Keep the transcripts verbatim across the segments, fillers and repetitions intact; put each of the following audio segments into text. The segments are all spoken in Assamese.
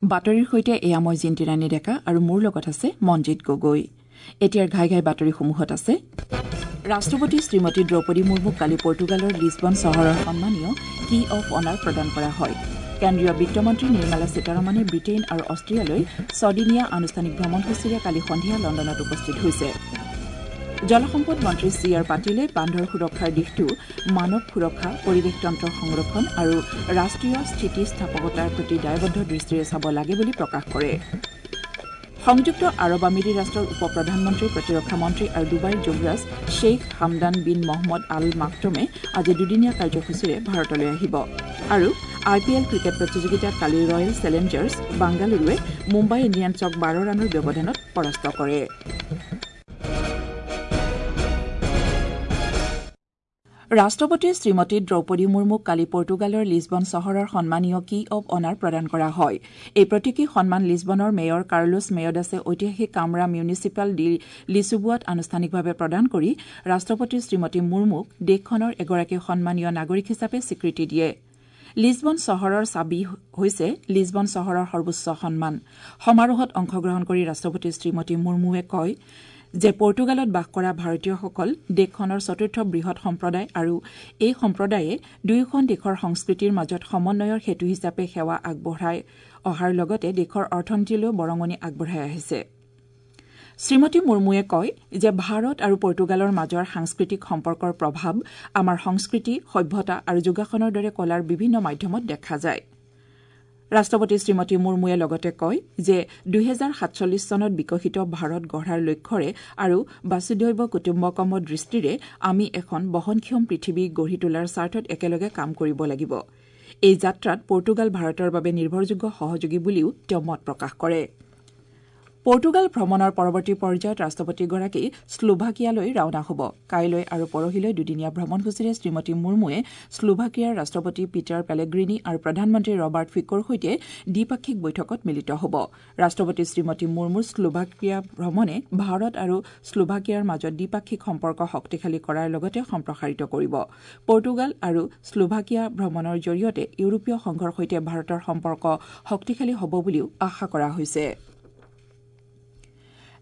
বাতৰিৰ সৈতে এয়া মই জিন্তিৰাণী ডেকা আৰু মোৰ লগত আছে মনজিত গগৈ। এতিয়াৰ ঘাই ঘাই বাতৰিসমূহত আছে ৰাষ্ট্ৰপতি শ্ৰীমতী দ্ৰৌপদী মুৰ্মুক কালি পৰ্তুগালৰ লিছবন চহৰৰ সন্মানীয় কী অফ অনাৰ প্ৰদান কৰা হয়। কেন্দ্ৰীয় বিত্তমন্ত্ৰী নিৰ্মলা সীতাৰমণে ব্ৰিটেইন আৰু অষ্ট্ৰিয়ালৈ ছদিনীয়া আনুষ্ঠানিক ভ্ৰমণসূচীৰে কালি সন্ধিয়া লণ্ডনত উপস্থিত হৈছে। জলসম্পদ মন্ত্ৰী চি আৰ পাটিলে বান্ধৰ সুৰক্ষাৰ দিশটো মানৱ সুৰক্ষা, পৰিৱেশতন্ত্ৰৰ সংৰক্ষণ আৰু ৰাষ্ট্ৰীয় স্থিতিস্থাপকতাৰ প্ৰতি দায়বদ্ধ দৃষ্টিৰে চাব লাগে বুলি প্ৰকাশ কৰে। সংযুক্ত আৰৱ আমিৰি ৰাষ্ট্ৰৰ উপ প্ৰধানমন্ত্ৰী, প্ৰতিৰক্ষা মন্ত্ৰী আৰু ডুবাইৰ যুৱৰাজ Sheikh Hamdan bin Mohammed Al মাকটমে আজি দুদিনীয়া কাৰ্যসূচীৰে ভাৰতলৈ আহিব। আৰু আই পি এল ক্ৰিকেট প্ৰতিযোগিতাত কালি ৰয়েল চেলেঞ্জাৰ্ছ বাংগালুৰুৱে মুম্বাই ইণ্ডিয়ানছক বাৰ ৰানৰ ব্যৱধানত পৰাস্ত কৰে। ৰাষ্ট্ৰপতি শ্ৰীমতী দ্ৰৌপদী মুৰ্মুক কালি পৰ্তুগালৰ লিছবন চহৰৰ সন্মানীয় কী অৱ অনাৰ প্ৰদান কৰা হয়। এই প্ৰতীকী সন্মান লিছবনৰ মেয়ৰ কাৰ্লোছ মেয়ডাছে ঐতিহাসিক কামৰা মিউনিচিপাল ডি লিছবোৱাত আনুষ্ঠানিকভাৱে প্ৰদান কৰি ৰাষ্ট্ৰপতি শ্ৰীমতী মুৰ্মুক দেশখনৰ এগৰাকী সন্মানীয় নাগৰিক হিচাপে স্বীকৃতি দিয়ে। লিছবন চহৰৰ চাবি হৈছে লিছবন চহৰৰ সৰ্বোচ্চ সন্মান। সমাৰোহত অংশগ্ৰহণ কৰি ৰাষ্ট্ৰপতি শ্ৰীমতী মুৰ্মুৱে কয় যে পৰ্তুগালত বাস কৰা ভাৰতীয়সকল দেশখনৰ চতুৰ্থ বৃহৎ সম্প্ৰদায় আৰু এই সম্প্ৰদায়ে দুয়োখন দেশৰ সংস্কৃতিৰ মাজত সমন্বয়ৰ সেতু হিচাপে সেৱা আগবঢ়াই অহাৰ লগতে দেশৰ অৰ্থনীতিলৈও বৰঙণি আগবঢ়াই আহিছে। শ্ৰীমতী মুৰ্মুৱে কয় যে ভাৰত আৰু পৰ্তুগালৰ মাজৰ সাংস্কৃতিক সম্পৰ্কৰ প্ৰভাৱ আমাৰ সংস্কৃতি, সভ্যতা আৰু যোগাসনৰ দৰে কলাৰ বিভিন্ন মাধ্যমত দেখা যায়। ৰাষ্ট্ৰপতি শ্ৰীমতী মুৰ্মুৱে লগতে কয় যে দুহেজাৰ সাতচল্লিছ চনত বিকশিত ভাৰত গঢ়াৰ লক্ষ্যৰে আৰু বাসুদৈৱ কুটুম্বকমৰ দৃষ্টিৰে আমি এখন বহনক্ষম পৃথিৱী গঢ়ি তোলাৰ স্বাৰ্থত একেলগে কাম কৰিব লাগিব। এই যাত্ৰাত পৰ্তুগাল ভাৰতৰ বাবে নিৰ্ভৰযোগ্য সহযোগী বুলিও তেওঁ মত প্ৰকাশ কৰে। পৰ্তুগাল ভ্ৰমণৰ পৰৱৰ্তী পৰ্যায়ত ৰাষ্ট্ৰপতিগৰাকী শ্লোভাকিয়ালৈ ৰাওনা হ'ব। কাইলৈ আৰু পৰহিলৈ দুদিনীয়া ভ্ৰমণসূচীৰে শ্ৰীমতী মুৰ্মুৱে শ্লোভাকিয়াৰ ৰাষ্ট্ৰপতি পিটাৰ পেলেগ্ৰিনি আৰু প্ৰধানমন্ত্ৰী ৰবাৰ্ট ফিকোৰ সৈতে দ্বিপাক্ষিক বৈঠকত মিলিত হ'ব। ৰাষ্ট্ৰপতি শ্ৰীমতী মুৰ্মুৰ শ্লোভাকিয়া ভ্ৰমণে ভাৰত আৰু শ্লোভাকিয়াৰ মাজত দ্বিপাক্ষিক সম্পৰ্ক শক্তিশালী কৰাৰ লগতে সম্প্ৰসাৰিত কৰিব। পৰ্তুগাল আৰু শ্লোভাকিয়া ভ্ৰমণৰ জৰিয়তে ইউৰোপীয় সংঘৰ সৈতে ভাৰতৰ সম্পৰ্ক শক্তিশালী হ'ব বুলিও আশা কৰা হৈছে।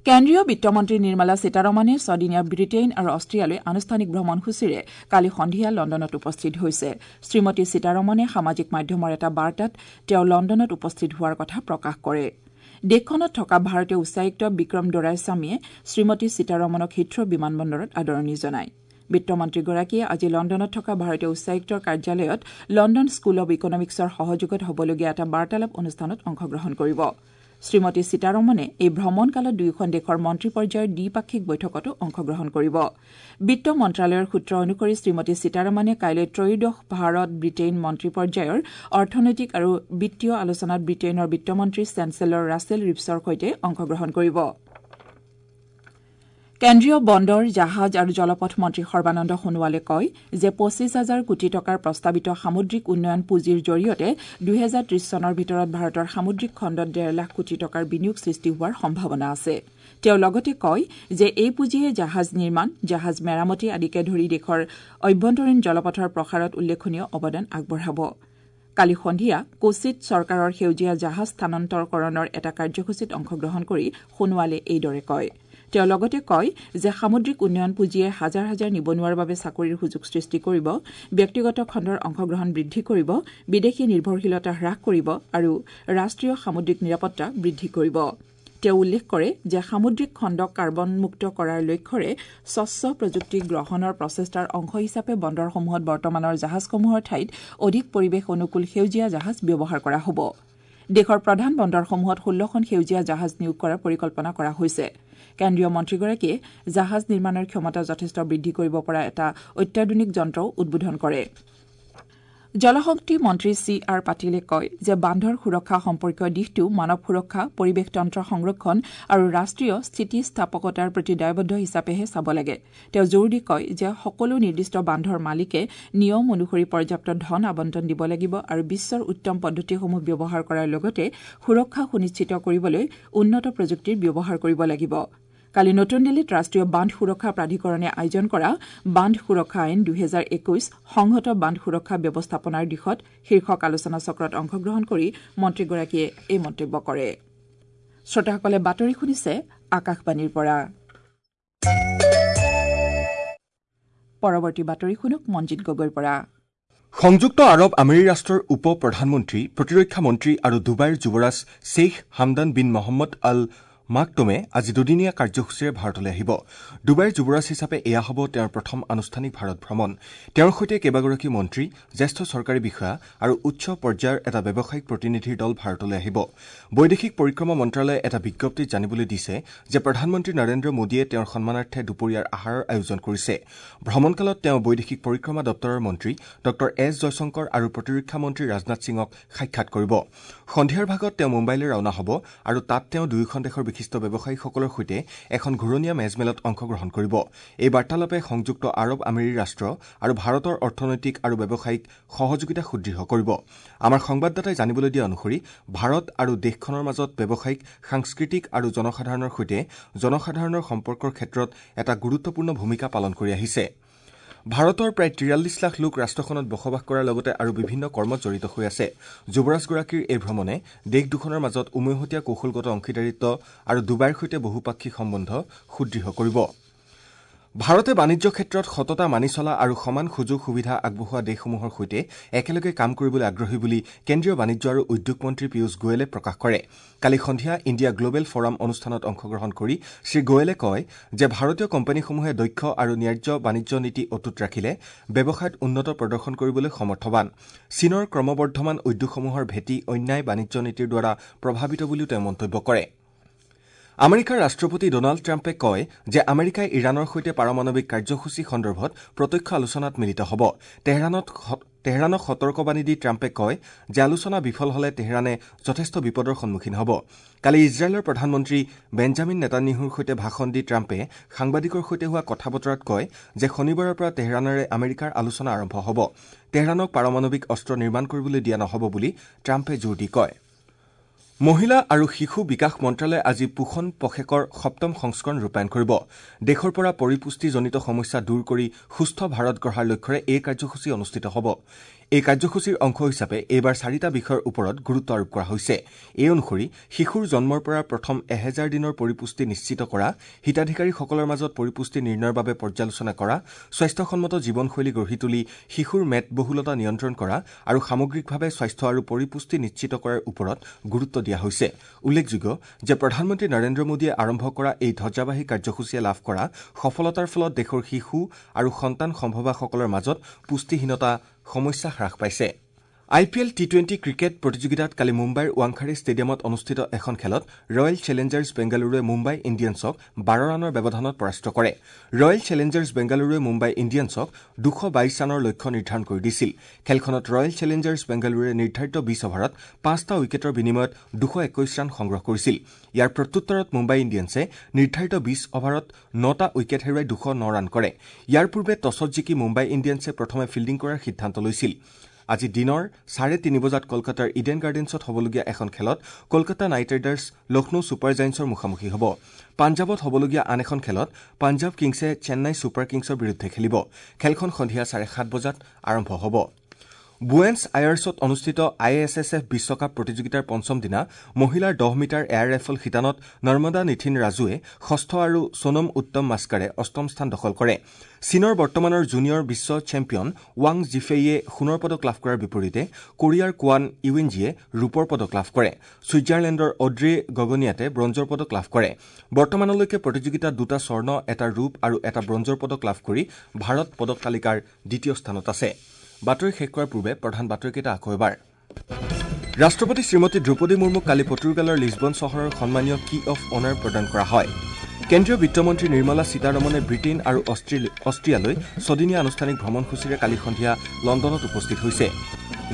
কেন্দ্ৰীয় বিত্তমন্ত্ৰী নিৰ্মলা সীতাৰমণে ছদিনীয়া ব্ৰিটেইন আৰু অষ্ট্ৰিয়ালৈ আনুষ্ঠানিক ভ্ৰমণসূচীৰে কালি সন্ধিয়া লণ্ডনত উপস্থিত হৈছে। শ্ৰীমতী সীতাৰমণে সামাজিক মাধ্যমৰ এটা বাৰ্তাত তেওঁ লণ্ডনত উপস্থিত হোৱাৰ কথা প্ৰকাশ কৰে। দেশখনত থকা ভাৰতীয় উচ্চায়ুক্ত বিক্ৰম দোৰাইস্বামীয়ে শ্ৰীমতী সীতাৰমণক হিথ্ৰ বিমানবন্দৰত আদৰণি জনায়। বিত্তমন্ত্ৰীগৰাকীয়ে আজি লণ্ডনত থকা ভাৰতীয় উচ্চায়ুক্তৰ কাৰ্যালয়ত লণ্ডন স্কুল অৱ ইকনমিক্সৰ সহযোগত হ'বলগীয়া এটা বাৰ্তালাপ অনুষ্ঠানত অংশগ্ৰহণ কৰিব। শ্ৰীমতী সীতাৰমণে এই ভ্ৰমণকালত দুয়োখন দেশৰ মন্ত্ৰী পৰ্যায়ৰ দ্বিপাক্ষিক বৈঠকতো অংশগ্ৰহণ কৰিব। বিত্ত মন্ত্ৰালয়ৰ সূত্ৰ অনুসৰি শ্ৰীমতী সীতাৰমণে কাইলৈ ত্ৰয়োদশ ভাৰত ব্ৰিটেইন মন্ত্ৰী পৰ্যায়ৰ অৰ্থনৈতিক আৰু বিত্তীয় আলোচনাত ব্ৰিটেইনৰ বিত্তমন্ত্ৰী চেঞ্চেলৰ ৰাছেল ৰিভছৰ সৈতে অংশগ্ৰহণ কৰিব। কেন্দ্ৰীয় বন্দৰ, জাহাজ আৰু জলপথ মন্ত্ৰী সৰ্বানন্দ সোণোৱালে কয় যে পঁচিছ হাজাৰ কোটি টকাৰ প্ৰস্তাৱিত সামুদ্ৰিক উন্নয়ন পুঁজিৰ জৰিয়তে দুহেজাৰ ত্ৰিশ চনৰ ভিতৰত ভাৰতৰ সামুদ্ৰিক খণ্ডত ডেৰ লাখ কোটি টকাৰ বিনিয়োগ সৃষ্টি হোৱাৰ সম্ভাৱনা আছে। তেওঁ লগতে কয় যে এই পুঁজিয়ে জাহাজ নিৰ্মাণ, জাহাজ মেৰামতি আদিকে ধৰি দেশৰ অভ্যন্তৰীণ জলপথৰ প্ৰসাৰত উল্লেখনীয় অৱদান আগবঢ়াব। কালি সন্ধিয়া কোচিত চৰকাৰৰ সেউজীয়া জাহাজ স্থানান্তৰকৰণৰ এটা কাৰ্যসূচীত অংশগ্ৰহণ কৰি সোণোৱালে এইদৰে কয়। তেওঁ লগতে কয় যে সামুদ্ৰিক উন্নয়ন পুঁজিয়ে হাজাৰ হাজাৰ নিবনুৱাৰ বাবে চাকৰিৰ সুযোগ সৃষ্টি কৰিব, ব্যক্তিগত খণ্ডৰ অংশগ্ৰহণ বৃদ্ধি কৰিব, বিদেশী নিৰ্ভৰশীলতা হ্ৰাস কৰিব আৰু ৰাষ্ট্ৰীয় সামুদ্ৰিক নিৰাপত্তা বৃদ্ধি কৰিব। তেওঁ উল্লেখ কৰে যে সামুদ্ৰিক খণ্ডক কাৰ্বনমুক্ত কৰাৰ লক্ষ্যৰে স্বচ্ছ প্ৰযুক্তি গ্ৰহণৰ প্ৰচেষ্টাৰ অংশ হিচাপে বন্দৰসমূহত বৰ্তমানৰ জাহাজসমূহৰ ঠাইত অধিক পৰিৱেশ অনুকূল সেউজীয়া জাহাজ ব্যৱহাৰ কৰা হ'ব। দেশৰ প্ৰধান বন্দৰসমূহত ষোল্লখন সেউজীয়া জাহাজ নিয়োগ কৰাৰ পৰিকল্পনা কৰা হৈছে। কেন্দ্ৰীয় মন্ত্ৰীগৰাকীয়ে জাহাজ নিৰ্মাণৰ ক্ষমতা যথেষ্ট বৃদ্ধি কৰিব পৰা এটা অত্যাধুনিক যন্ত্ৰও উদ্বোধন কৰে। জলশক্তি মন্ত্ৰী চি আৰ পাটিলে কয় যে বান্ধৰ সুৰক্ষা সম্পৰ্কীয় দিশটো মানৱ সুৰক্ষা, পৰিৱেশতন্ত্ৰ সংৰক্ষণ আৰু ৰাষ্ট্ৰীয় স্থিতিস্থাপকতাৰ প্ৰতি দায়বদ্ধ হিচাপেহে চাব লাগে। তেওঁ জোৰ দি কয় যে সকলো নিৰ্দিষ্ট বান্ধৰ মালিকে নিয়ম অনুসৰি পৰ্যাপ্ত ধন আবণ্টন দিব লাগিব আৰু বিশ্বৰ উত্তম পদ্ধতিসমূহ ব্যৱহাৰ কৰাৰ লগতে সুৰক্ষা সুনিশ্চিত কৰিবলৈ উন্নত প্ৰযুক্তিৰ ব্যৱহাৰ কৰিব লাগিব। কালি নতুন দিল্লীত ৰাষ্ট্ৰীয় বান্ধ সুৰক্ষা প্ৰাধিকৰণে আয়োজন কৰা বান্ধ সুৰক্ষা আইন দুহেজাৰ একৈশ সংহত বান্ধ সুৰক্ষা ব্যৱস্থাপনাৰ দিশত শীৰ্ষক আলোচনা চক্ৰত অংশগ্ৰহণ কৰি মন্ত্ৰীগৰাকীয়ে এই মন্তব্য কৰে। শ্ৰোতাসকলে বাতৰি শুনিছে আকাশবাণীৰ পৰা। পৰৱৰ্তী বাতৰি শুনক মঞ্জিত গগৈৰ পৰা। সংযুক্ত আৰৱ আমিৰী ৰাষ্ট্ৰৰ উপ প্ৰধানমন্ত্ৰী, প্ৰতিৰক্ষা মন্ত্ৰী আৰু ডুবাইৰ যুৱৰাজ Sheikh Hamdan bin Mohammed Al মাকটমে আজি দুদিনীয়া কাৰ্যসূচীৰে ভাৰতলৈ আহিব। ডুবাইৰ যুৱৰাজ হিচাপে এয়া হ'ব তেওঁৰ প্ৰথম আনুষ্ঠানিক ভাৰত ভ্ৰমণ। তেওঁৰ সৈতে কেইবাগৰাকী মন্ত্ৰী, জ্যেষ্ঠ চৰকাৰী বিষয়া আৰু উচ্চ পৰ্যায়ৰ এটা ব্যৱসায়িক প্ৰতিনিধিৰ দল ভাৰতলৈ আহিব। বৈদেশিক পৰিক্ৰমা মন্ত্ৰালয়ে এটা বিজ্ঞপ্তিত জানিবলৈ দিছে যে প্ৰধানমন্ত্ৰী নৰেন্দ্ৰ মোদীয়ে তেওঁৰ সন্মানাৰ্থে দুপৰীয়াৰ আহাৰৰ আয়োজন কৰিছে। ভ্ৰমণকালত তেওঁ বৈদেশিক পৰিক্ৰমা দপ্তৰৰ মন্ত্ৰী ডঃ এছ জয়শংকৰ আৰু প্ৰতিৰক্ষা মন্ত্ৰী ৰাজনাথ সিঙক সাক্ষাৎ কৰিব। সন্ধিয়াৰ ভাগত তেওঁ মুম্বাইলৈ ৰাওনা হ'ব আৰু তাত তেওঁ দুয়োখন দেশৰ বিশিষ্ট ব্যৱসায়ীসকলৰ সৈতে এখন ঘূৰণীয়া মেজমেলত অংশগ্ৰহণ কৰিব। এই বাৰ্তালাপে সংযুক্ত আৰৱ আমিৰী ৰাষ্ট্ৰ আৰু ভাৰতৰ অৰ্থনৈতিক আৰু ব্যৱসায়িক সহযোগিতা সুদৃঢ় কৰিব। আমাৰ সংবাদদাতাই জানিবলৈ দিয়া অনুসৰি ভাৰত আৰু দেশখনৰ মাজত ব্যৱসায়িক, সাংস্কৃতিক আৰু জনসাধাৰণৰ সৈতে জনসাধাৰণৰ সম্পৰ্কৰ ক্ষেত্ৰত এটা গুৰুত্বপূৰ্ণ ভূমিকা পালন কৰি আহিছে। ভাৰতৰ প্ৰায় তিৰাল্লিছ লাখ লোক ৰাষ্ট্ৰখনত বসবাস কৰাৰ লগতে আৰু বিভিন্ন কৰ্মত জড়িত হৈ আছে। যুৱৰাজগৰাকীৰ এই ভ্ৰমণে দেশ দুখনৰ মাজত উমৈহতীয়া কৌশলগত অংশীদাৰিত্ব আৰু ডুবাইৰ সৈতে বহুপাক্ষিক সম্বন্ধ সুদৃঢ় কৰিব। ভাৰতে বাণিজ্য ক্ষেত্ৰত সততা মানি চলা আৰু সমান সুযোগ সুবিধা আগবঢ়োৱা দেশসমূহৰ সৈতে একেলগে কাম কৰিবলৈ আগ্ৰহী বুলি কেন্দ্ৰীয় বাণিজ্য আৰু উদ্যোগ মন্ত্ৰী পীয়ুষ গোৱেলে প্ৰকাশ কৰে। কালি সন্ধিয়া ইণ্ডিয়া গ্লবেল ফৰাম অনুষ্ঠানত অংশগ্ৰহণ কৰি শ্ৰী গোৱেলে কয় যে ভাৰতীয় কোম্পানীসমূহে দক্ষ আৰু ন্যায্য বাণিজ্য নীতি অটুট ৰাখিলে ব্যৱসায়ত উন্নত প্ৰদৰ্শন কৰিবলৈ সমৰ্থবান। চীনৰ ক্ৰমবৰ্ধমান উদ্যোগসমূহৰ ভেটি অন্যায় বাণিজ্য নীতিৰ দ্বাৰা প্ৰভাৱিত বুলিও তেওঁ মন্তব্য কৰে। আমেৰিকাৰ ৰাষ্ট্ৰপতি ডনাল্ড ট্ৰাম্পে কয় যে আমেৰিকাই ইৰাণৰ সৈতে পাৰমাণৱিক কাৰ্যসূচী সন্দৰ্ভত প্ৰত্যক্ষ আলোচনাত মিলিত হ'ব। তেহৰাণত তেহৰাণক সতৰ্কবাণী দি ট্ৰাম্পে কয় যে আলোচনা বিফল হলে তেহৰাণে যথেষ্ট বিপদৰ সন্মুখীন হ'ব। কালি ইজৰাইলৰ প্ৰধানমন্ত্ৰী বেঞ্জামিন নেতানিয়াহুৰ সৈতে ভাষণ দি ট্ৰাম্পে সাংবাদিকৰ সৈতে হোৱা কথা বতৰাত কয় যে শনিবাৰৰ পৰা তেহৰাণেৰে আমেৰিকাৰ আলোচনা আৰম্ভ হ'ব। তেহৰাণক পাৰমাণৱিক অস্ত্ৰ নিৰ্মাণ কৰিবলৈ দিয়া নহ'ব বুলি ট্ৰাম্পে জোৰ দি কয়। মহিলা আৰু শিশু বিকাশ মন্ত্ৰালয়ে আজি পোষণ পষেকৰ সপ্তম সংস্কৰণ ৰূপায়ণ কৰিব। দেশৰ পৰা পৰিপুষ্টিজনিত সমস্যা দূৰ কৰি সুস্থ ভাৰত গঢ়াৰ লক্ষ্যৰে এই কাৰ্যসূচী অনুষ্ঠিত হ'ব। এই কাৰ্যসূচীৰ অংশ হিচাপে এইবাৰ চাৰিটা বিষয়ৰ ওপৰত গুৰুত্ব আৰোপ কৰা হৈছে। এই অনুসৰি শিশুৰ জন্মৰ পৰা প্ৰথম এহেজাৰ দিনৰ পৰিপুষ্টি নিশ্চিত কৰা, হিতাধিকাৰীসকলৰ মাজত পৰিপুষ্টি নিৰ্ণয়ৰ বাবে পৰ্যালোচনা কৰা, স্বাস্থ্যসন্মত জীৱনশৈলী গঢ়ি তুলি শিশুৰ মেদবহুলতা নিয়ন্ত্ৰণ কৰা আৰু সামগ্ৰিকভাৱে স্বাস্থ্য আৰু পৰিপুষ্টি নিশ্চিত কৰাৰ ওপৰত গুৰুত্ব দিয়া হৈছে। উল্লেখযোগ্য যে প্ৰধানমন্ত্ৰী নৰেন্দ্ৰ মোদীয়ে আৰম্ভ কৰা এই ধ্বজাবাহী কাৰ্যসূচীয়ে লাভ কৰা সফলতাৰ ফলত দেশৰ শিশু আৰু সন্তান সম্ভৱাসকলৰ মাজত পুষ্টিহীনতা সমস্যা হ্ৰাস পাইছে। I P L T twenty cricket প্ৰতিযোগিতাত কালি মুম্বাইৰ ৱাংখাড়ে ষ্টেডিয়ামত অনুষ্ঠিত এখন খেলত ৰয়েল চেলেঞ্জাৰ্ছ বেংগালুৰুৱে মুম্বাই ইণ্ডিয়ানছক বাৰ ৰানৰ ব্যৱধানত পৰাস্ত কৰে। ৰয়েল চেলেঞ্জাৰ্ছ বেংগালুৰুৱে মুম্বাই ইণ্ডিয়ানছক দুশ বাইশ ৰানৰ লক্ষ্য নিৰ্ধাৰণ কৰি দিছিল। খেলখনত ৰয়েল চেলেঞ্জাৰ্ছ বেংগালুৰুৱে নিৰ্ধাৰিত বিশ অভাৰত পাঁচটা উইকেটৰ বিনিময়ত দুশ একৈশ ৰান সংগ্ৰহ কৰিছিল। ইয়াৰ প্ৰত্যুত্তৰত মুম্বাই ইণ্ডিয়ানছে নিৰ্ধাৰিত বিশ অভাৰত নটা উইকেট হেৰুৱাই দুশ ন ৰান কৰে। ইয়াৰ পূৰ্বে টছত জিকি মুম্বাই ইণ্ডিয়ানছে প্ৰথমে ফিল্ডিং কৰাৰ সিদ্ধান্ত লৈছিল। আজি দিনৰ চাৰে তিনি বজাত কলকাতাৰ ইডেন গাৰ্ডেন্সত হ'বলগীয়া এখন খেলত Kolkata Knight Riders Lucknow Super জায়েণ্টছৰ মুখামুখি হ'ব। পাঞ্জাৱত হ'বলগীয়া আন এখন খেলত পাঞ্জাৱ কিংছে চেন্নাই ছুপাৰ কিংছৰ বিৰুদ্ধে খেলিব। খেলখন সন্ধিয়া চাৰে সাত বজাত আৰম্ভ হ'ব। বুৱেন্স আয়াৰ্ছত অনুষ্ঠিত I S S F বিশ্বকাপ প্ৰতিযোগিতাৰ পঞ্চম দিনা মহিলাৰ দহ মিটাৰ এয়াৰ ৰাইফল শিতানত নৰ্মদা নিথিন ৰাজুৱে ষষ্ঠ আৰু সোনম উত্তম মাস্কাৰে অষ্টম স্থান দখল কৰে। চীনৰ বৰ্তমানৰ জুনিয়ৰ বিশ্ব চেম্পিয়ন ৱাং জিফেইয়ে সোণৰ পদক লাভ কৰাৰ বিপৰীতে কোৰিয়াৰ কোৱান ইউইনজিয়ে ৰূপৰ পদক লাভ কৰে। ছুইজাৰলেণ্ডৰ অড্ৰে গগনিয়াতে ব্ৰঞ্জৰ পদক লাভ কৰে। বৰ্তমানলৈকে প্ৰতিযোগিতাত দুটা স্বৰ্ণ, এটা ৰূপ আৰু এটা ব্ৰঞ্জৰ পদক লাভ কৰি ভাৰত পদক তালিকাৰ দ্বিতীয় স্থানত আছে। বাতৰি শেষ কৰাৰ পূৰ্বে প্ৰধান বাতৰিকেইটা আকৌ এবাৰ। ৰাষ্ট্ৰপতি শ্ৰীমতী দ্ৰৌপদী মুৰ্মুক কালি পৰ্তুগালৰ লিছবন চহৰৰ সন্মানীয় কী অফ অনাৰ প্ৰদান কৰা হয়। কেন্দ্ৰীয় বিত্তমন্ত্ৰী নিৰ্মলা সীতাৰমণে ব্ৰিটেইন আৰু অষ্ট্ৰিয়ালৈ ছদিনীয়া আনুষ্ঠানিক ভ্ৰমণসূচীৰে কালি সন্ধিয়া লণ্ডনত উপস্থিত হৈছে।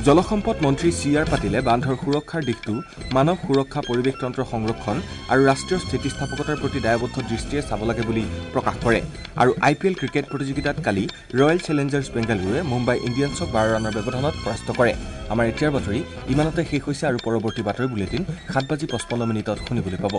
জলসম্পদ মন্ত্ৰী চি আৰ পাটিলে বান্ধৰ সুৰক্ষাৰ দিশটো মানৱ সুৰক্ষা, পৰিৱেশতন্ত্ৰ সংৰক্ষণ আৰু ৰাষ্ট্ৰীয় স্থিতিস্থাপকতাৰ প্ৰতি দায়বদ্ধ দৃষ্টিৰে চাব লাগে বুলি প্ৰকাশ কৰে। আৰু আই পি এল ক্ৰিকেট প্ৰতিযোগিতাত কালি ৰয়েল চেলেঞ্জাৰ্ছ বেংগালুৰুৱে মুম্বাই ইণ্ডিয়ানছক বাৰ ৰানৰ ব্যৱধানত পৰাস্ত কৰে। আমাৰ এতিয়াৰ বাতৰি ইমানতে শেষ হৈছে আৰু পৰৱৰ্তী বাতৰি বুলেটিন সাত বাজি পঁচপন্ন মিনিটত শুনিবলৈ পাব।